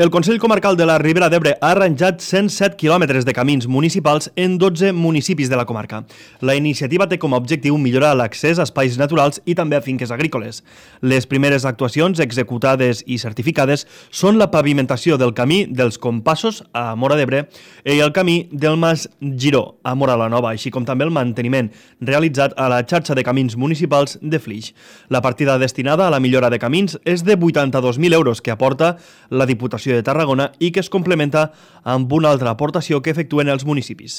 El Consell Comarcal de la Ribera d'Ebre ha arranjat 107 quilòmetres de camins municipals en 12 municipis de la comarca. La iniciativa té com a objectiu millorar l'accés a espais naturals i també a finques agrícoles. Les primeres actuacions executades i certificades són la pavimentació del camí dels Compassos a Móra d'Ebre i el camí del Mas Giró a Móra la Nova, així com també el manteniment realitzat a la xarxa de camins municipals de Flix. La partida destinada a la millora de camins és de 82.000 euros que aporta la Diputació de Tarragona i que es complementa amb una altra aportació que efectuen els municipis.